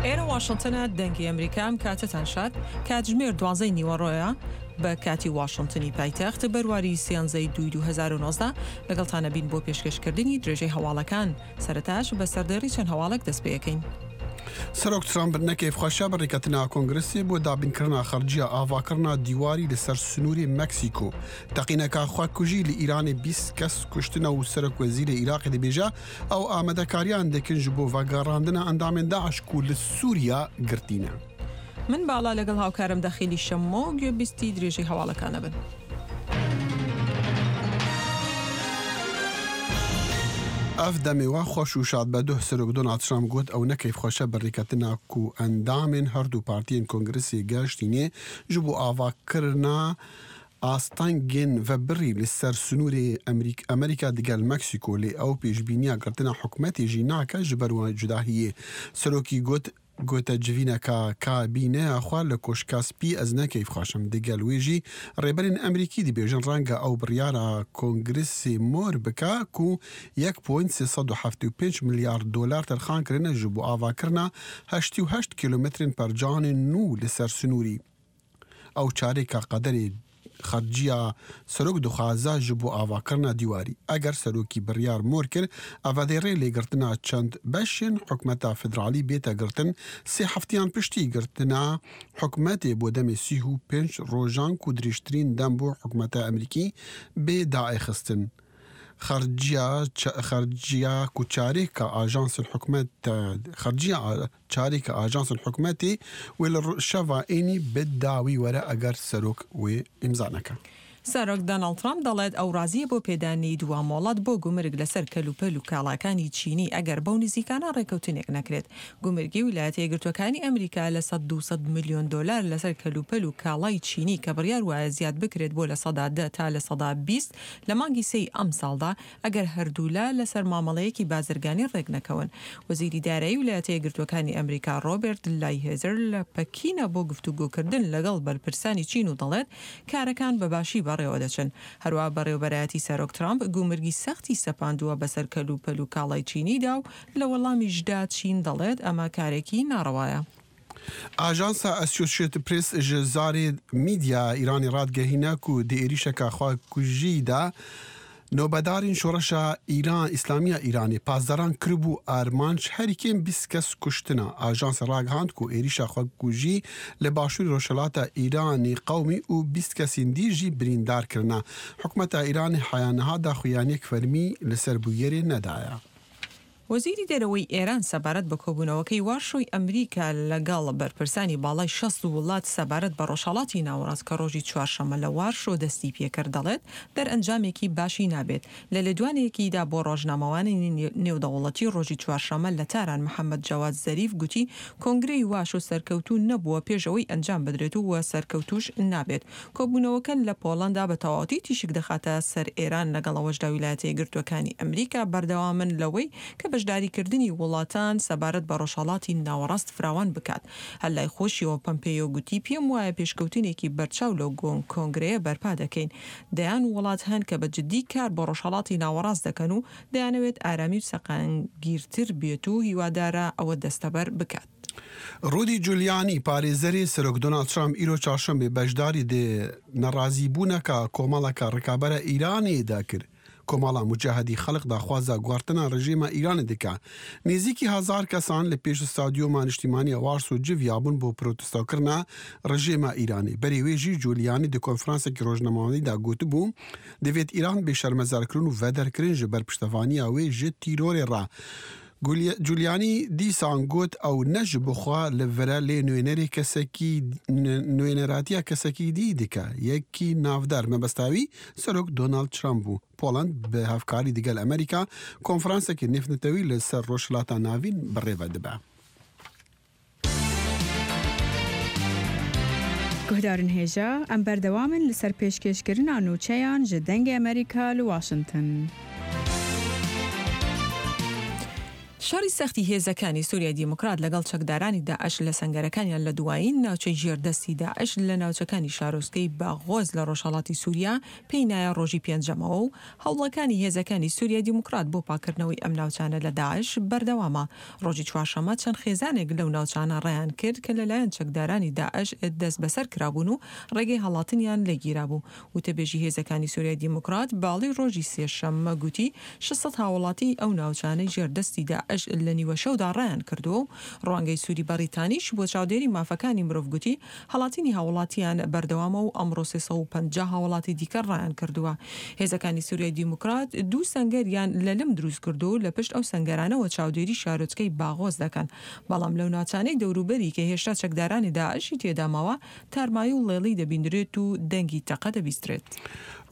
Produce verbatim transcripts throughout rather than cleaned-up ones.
ئێرە واشنتنە، دەنگی ئەمریکا. ئەم کاتەتان شاد. کاتژمێر دوازدەی نیوەڕۆیە بە کاتی واشنتنی پایتەخت، بەرواری سیانزەی دووی دوو هەزار و نۆزدە. لەگەڵتانە بین بۆ پێشکەشکردنی درێژەی هەواڵەکان. سەرەتاش بە سەردێڕی چەند هەواڵێک دەست پێ ئەکەین. سەرۆک ترامپ نەکەیفخوەشە بە ڕێکەتنا کۆنگرسێ بۆ دابینکردنا خەرجیە ئاڤاکردنا دیواری لەسەر سنووری مەکسیکۆ. تەقینەکە خوەکوژی لە ئیرانێ بیست کەس کوشتنە و سەرۆک وەزیری عیراقی دەبێژە ئەو ئامادەکاریان دەکەن ji بۆ ڤەگەڕاندنە ئەندامێن داعش کو لە سووریا گرتینە. من باڵا لەگەڵ هاوکارم دەخیلی شەممۆ گوێبیستی درێژەی هەواڵەکانە بن. ئەف دەمێوە خۆش و شاد بە دوه سەرۆک دۆناڵد ترامپ گوت ئەو نەکەیفخوەشە بە ڕێکەتنا کو ئەندامێن هەردوو پارتیên کۆنگرسê گەشتینێ ji bo avakirina ئاستەنگên vebirî li ser sinûrê Amerîka digel Meksîko lê ew pêşbîniya girtina hikûmetê jî nake ji ber cudahiyê. Serokî got gote civîneka kabîneya xwe li Koşka Spî ez nekeyfxweş im. Digel wê jî rêberên Amerîkî dibêjin renge ew biryara Kongresê mor bike ku yek point sê sed û heftê û pênc milyar dolar terxan kirine ji bo avakirina heştî û heşt kîlometrên percanên nû li ser sinûrî. Ew çarêka qederê xerciya serok dixwaze ji bo avakirina dîwarî. Eger serokî biryar mor kir, ev dê rê lêgirtina çend beşên hikûmeta federalî bête girtin, sê heftiyan piştî girtina hikûmetê bo demê sî û pênc rojan ku dirêjtirîn dem bû hikûmeta Amerîkî bê daêxistin. Xerciya xerciya ku çarêka ajansên hikûmet xerciya çarêka ajansên hikûmetê wê li şeva ênî bi dawî were eger serok wê îmza neke. سەرۆک دۆناڵد ترامپ دەڵێت ئەو ڕازیە بۆ پێدانی دوا مۆڵەت بۆ گومرگ لەسەر کەلوپەل و کاڵاکانی چینی ئەگەر بەو نزیکانە ڕێکەوتنێک نەکرێت. گومرگی ویلایەتە یەکگرتووەکانی ئەمریکا لە سەد دوو سەد ملیۆن دۆلار لەسەر کەلوپەل و کاڵای چینی کە بڕیار وایە زیاد بکرێت بۆ لە سەدا دە تا لە سەدا بیست لە مانگی سێی ئەمساڵدا ئەگەر هەردوولا لەسەر مامەڵەیەکی بازرگانی ڕێک نەکەون. وەزیری دارایی ویلایەتە یەکگرتووەکانی ئەمریکا ڕۆبەرت لایتهایزەر لە پەکینە بۆ گفتوگۆکردن لەگەڵ بەرپرسانی چین و دەڵێت کارەکان بە باشی بەڕێوە دەچن. هەروە بەڕێوەبەرایەتی سەرۆک ترامپ گومرگی سەختی سەپاندووە بەسەر کەلوپەل و کاڵای چینیدا و لە وەڵامیشدا چین دەڵێت ئەمە کارێکی ناڕەوایە. ئاژانسا ئەسۆسیەتد پرێس ji zarê میدیا ئیرانی ڕادگەهینە ku di êrîşeka xwekujî de nobeddarên şoreşa Îran İslamiya Îranê pasdaran kiribû armanc herî kêm bîst kes kuştina. Ajans ragihand ku êrîşa xwekujî li başûrê Rojhilata Îranê qewmî û bîst kesên dî jî birîndar kirine. Hikûmeta Îranê heya niha daxuyaniyek fermî li ser bûyerê nedaye. وەزیری دەرەوەی ئێران سەبارەت بە کۆبوونەوەکەی وارشۆی ئەمریکا لەگەڵ بەرپرسانی باڵای شەست وڵات سەبارەت بە ڕۆژهەڵاتی ناوەڕاست کە ڕۆژی چوارشەممە لە وارشۆ دەستی پێکرد دەڵێت دەرئەنجامێکی باشی نابێت. لە لێدوانێکیدا بۆ ڕۆژنامەوانی نێودەوڵەتی ڕۆژی چوارشەممە لە تاران محەممەد جەواد زەریف گوتی کۆنگرەی واشۆ سەرکەوتوو نەبووە پێشەوەی ئەنجام بدرێت و سەرکەوتوش نابێت. کۆبوونەوەکە لە پۆڵەندا بە تەواوەتی تیشک دەخاتە سەر ئێران لەگەڵ ئەوەشدا ویلایەتە یەکگرتووەکانی ئەمریکا بەردەوامن لەوەی کە بەشداریکردنی وڵاتان سەبارەت بە ڕۆژهەڵاتی ناوەڕاست فراوان بکات. هەر لای خۆشیەوە پەمپێیۆ گوتی پێم وایە پێشکەوتنێکی بەرچاو لەو کۆنگرەیە بەرپا دەکەین. دەیان وڵات هەن کە بە جدی کار بۆ ڕۆژهەڵاتی ناوەڕاست دەکەن و دەیانەوێت ئارامی و سەقامگیرتر بێت و هیوادارە ئەوە دەستەبەر بکات. ڕودی جولیانی پارێزەری سەرۆک دۆناڵد ترامپ ئیرۆ چارشەمبێ بەشداری دێ نەڕازیبوونەکە کۆمەڵەکە ڕکابەرە ئیرانی دەکرد. کۆمەڵە مجاهدی خەڵک داخوازە گوارتنا ڕژێمە ئیرانی دکا. نزیکی هەزار کەسان لە پێش ستادیۆما نیشتیمانیە وارسۆ جڤیابوون بۆ پرۆتستاکردنا ڕژێمە ئیرانی. بەرێ وێژی جولیانی di konferansekî rojnamevanî gotibû divêt Îran bê şermezarkirin û vederkirin ji ber piştevaniya wê ji tîrorê re. Giuliani dîsan got ew ne ji bo xwe li vire lê nûnerê kesekî nûneratiya kesekî dî dike. Yekî navdar mebesta wî Serok Donald Trump bû. Poland bi hevkarî digel Amerîka konferansekê nêvnetewî li ser Rojhilata Navîn birêve dibe. Guhdarên hêja, em berdewam in li ser pêşkêşkirina nûçeyan ji Dengê Amerîka li Washington. شەڕی سەختی هێزەکانی سووریای دیموکرات لەگەڵ چەکدارانی داعش لە سەنگەرەکانیان لە دوایین ناوچەی ژێردەستی داعش لە ناوچەکانی شارۆچکەی باغۆز لە ڕۆژهەڵاتی سووریا پێی نایە ڕۆژی پێنجەمەوە و هەوڵەکانی هێزەکانی سووریای دیموکرات بۆ پاکردنەوەی ئەم ناوچانە لە داعش بەردەوامە. ڕۆژی چوارشەممە چەند خێزانێک لەو ناوچانە ڕایان کرد کە لەلایەن چەکدارانی داعش دەستبەسەر کرابوون و ڕێگەی هەڵاتنیان لێگیرابوو. وتەبێژی هێزەکانی سووریای دیموکرات باڵی ڕۆژی سێشەممە گوتی شەش سەد هاوڵاتی ئەو ناوچانەی ژێردەستی داعش لە نیوەشەودا ڕایان کردووە و ڕوانگەی سووری بەریتانیش بۆ چاودێری مافەکانی مرۆڤ گوتی هەڵاتینی هاوڵاتیان بەردەوامە و ئەمڕۆ سێ سەد و پەنجا هاوڵاتی دیکە ڕایان کردووە. هێزەکانی سووریای دیموکرات دوو سەنگەریان لە لم دروست کردووە و لە پشت ئەو سەنگەرانەوە چاودێری شارۆچکەی باغۆز دەکەن، بەڵام لەو ناوچانەی دەوروبەری کە هێشتا چەکدارانی داعشی تێدا ماوە تارمایی و ڵێڵی دەبیندرێت و دەنگی تەقە دەبیسترێت.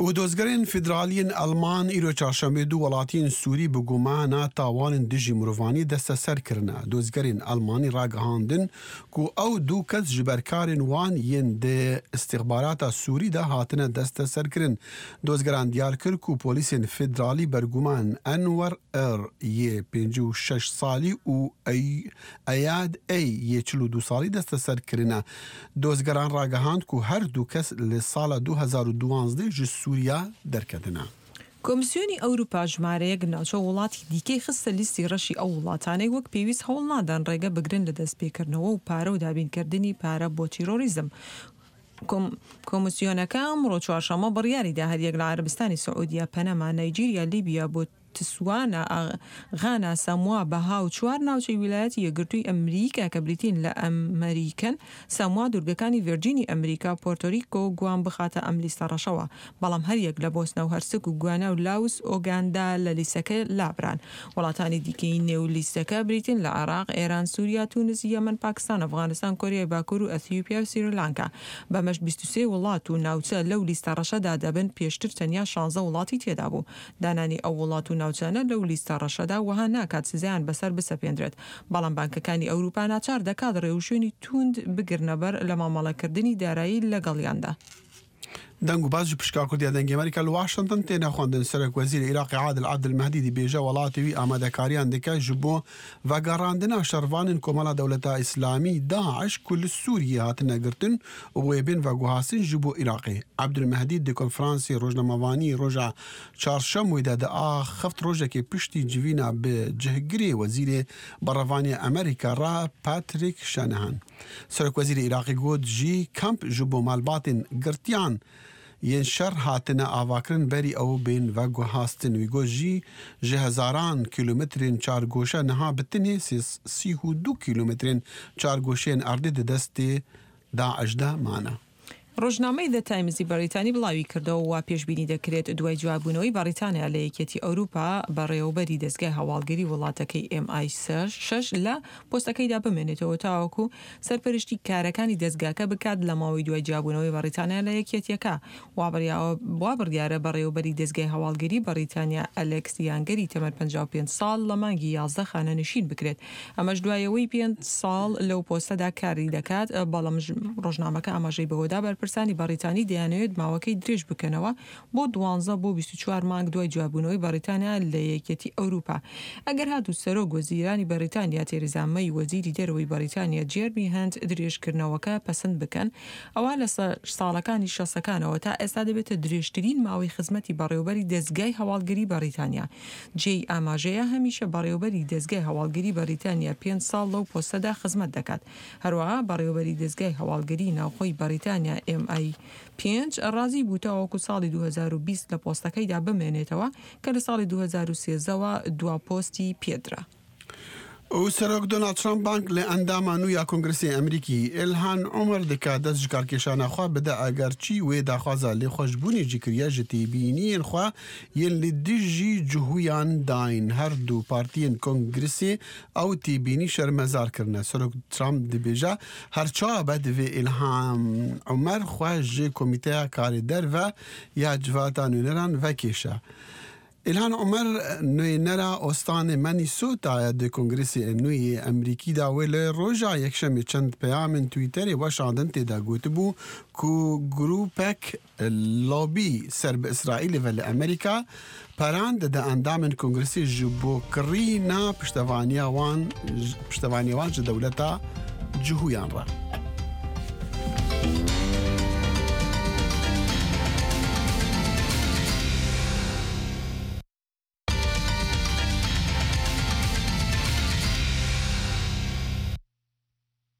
و دۆزگەرên فیدرالiyên Elman îro çarşembê du welatiyên Sûrî bi gumana tawanên dijî mirovanî desteser kirine. Dozgerên Elmanî ragihandin ku ew du kes ji berkarên wan yên di îstixbarata Sûrî de hatine desteserkirin. Dozgeran diyar kir ku polîsên federalî berguman Enwer R yê pêncî û şeş salî û Eyad A yê çil û du salî desteser kirine. Dozgeran ragihand ku her du kes li sala du hezar û duwazdeh ji Sûriya derketine. کۆمسیۆنی ئەوروپا ژمارەیەک ناوچە وڵاتی دیکەی خستە لیستی ڕەشی ئەو وڵاتانەی وەک پێویست هەوڵ نادەن ڕێگە بگرن لە دەستپێکردنەوە و پارە و دابینکردنی پارە بۆ تیرۆریزم. کۆمسیۆنەکە ئەمڕۆ چوارشەممە بڕیاریدا هەریەک لە عەرەبستانی سعودیە، پەنەما، نەیجیریا، لیبیا، بۆتسوانا، غانا، ساموا، بەها و چوار ناوچەی ویلایەتی یەکگرتووی ئەمریکا کە بریتین لە ئەمریکەن، ساموا، دوورگەکانی ڤێرجینی ئەمریکا، پۆرتۆریکۆ، گوام بخاتە ئەم لیستە ڕەشەوە. بەڵام هەریەک لە بۆسنە و هەرسک و گوانا و لاوس ئۆگاندا لە لیستەکە لابران. وڵاتانی دیکەی نێو لیستەکە بریتین لە عێراق، ئێران، سووریا، تونس، یەمەن، پاکستان، ئەفغانستان، کۆریای باکوور و ئەثیوپیا و سریلانکا. بەمەش بیست و سێ وڵات و ناوچە لەو لیستە ڕەشەدا دەبن، پێشتر تەنیا شانزە وڵاتی تێدا بوو. دانانی ئەو وڵات و ناوچانە لەو لیستە ڕەشەدا وەها ناکات سزایان بەسەر بسەپێندرێت، بەڵام بانکەکانی ئەوروپا ناچار دەکات ڕێوشوێنی توند بگرنەبەر لە مامەڵەکردنی دارایی لەگەڵیاندا. دەنگ و باز ji pişka Kurdiya Dengê Amerîka li Washington tê nexwendin. Serokwezîrê Iraqê Adil Abdulmehdî dibêje welatê wî amadekariyan dike ji bo vegerandina şervanên Komela Dewleta Îslamî Daeş ku li Sûriyê hatine girtin û wê bên veguhastin ji bo Iraqê. Abdulmehdî di konferansê rojnamevanî roja çarşemê de diaxift rojekê piştî civîna bi cihgirê wezîrê berevaniya Amerîka re Patrick Shanahan. Serokwezîrê Iraqê got jî kamp ji bo malbatên girtiyan yên şer hatine avakirin berî ew bên veguhastin. Wî got jî ji hezaran kîlometrên çargoşe niha bi tenê sî û du kîlometrên çargoşeyên erdê di destê Daeş de mane. ڕۆژنامەی The Timesی بەریتانی بڵاوی کردەوە وا پێشبینی دەکرێت دوای جوابوونەوەی بەریتانیا لە یەکێتی ئەوروپا بەڕێوەبەری دەستگای هەواڵگری وڵاتەکەی ئێم ئای شەش لە پۆستەکەیدا بمێنێتەوە تاوەکو سەرپەرشتی کارەکانی دەستگاکە بکات لە ماوەی دوای جیابوونەوەی بەریتانیا لە یەکێتیەکە. وا بڕیارە بەڕێوەبەری دەستگای هەواڵگری بەریتانیا ئەلێکس یانگەری تەمەن پەنجا و پێنج ساڵ لە مانگی یازدە خانەنشین بکرێت، ئەمەش دوایەوەی پێنج ساڵ لەو پۆستەدا کاری دەکات. بەڵام ڕۆژنامەکە ئاماژەی بەوەدا بەرپرسانی بەریتانی دەیانەوێت ماوەکەی درێژ بکەنەوە بۆ دوانزە بۆ بیست و چوار مانگ دوای جوابوونەوەی بەریتانیا لە یەکێتی ئەوروپا. ئەگەر هاتوو سەرۆک وەزیرانی بەریتانیا تێریزا مەی وەزیری دەرەوەی بەریتانیا جێرمی هەنت درێژکردنەوەکە پەسەند بکەن، ئەوە لە ساڵەکانی شەستەکانەوە تا ئێستا دەبێتە درێژترین ماوەی خزمەتی بەڕێوەبەری دەستگای هەواڵگری بەریتانیا. جێی ئاماژەیە هەمیشە بەڕێوەبەری دەستگای هەواڵگری بەریتانیا پێنج ساڵ لەو پۆستەدا خزمەت دەکات. هەروەها بەڕێوەبەری دەستگای هەواڵگری ناوخۆی بەریتانیا ئێم ئای پێنج ڕازی بوو تاوەکو ساڵی دوو هەزار و بیست لە پۆستەکەیدا بمێنێتەوە کە لە ساڵی دوو هەزار و سێزدەوە دوا پۆستی پێدرا. و سەرۆک دۆناڵد ترامپ بانک لە ئەندامان و یا کۆنگرسی ئەمریکی ئێلهان عومەر دکات دەست ji karkêşana xwe bide egerçî wê daxwaza lêxweşbûnê jî kiriye ji têbîniyên xwe yên li dijî cihûyan dayîn. Her du partiyên kongresê ew têbînî şermezar kirine. Serok Trump dibêje her çawa be divê Îlhan Omer xwe ji komîteya karê derve ya civata nûneran vekêşe. ئیلهان عومەر نوێنەرا ئۆستانێ مەنیسۆتایە di Kongresê nû yê Amerîkî de wê li roja Yekşemê çend peyamên Twitterê weşandin tê de gotibû ku grûpek lobî ser bi Îsraîlê ve li Amerîka peran dide endamên Kongresê ji bo kirîna piştevaniya wan piştevaniya wan ji dewleta cihûyan re.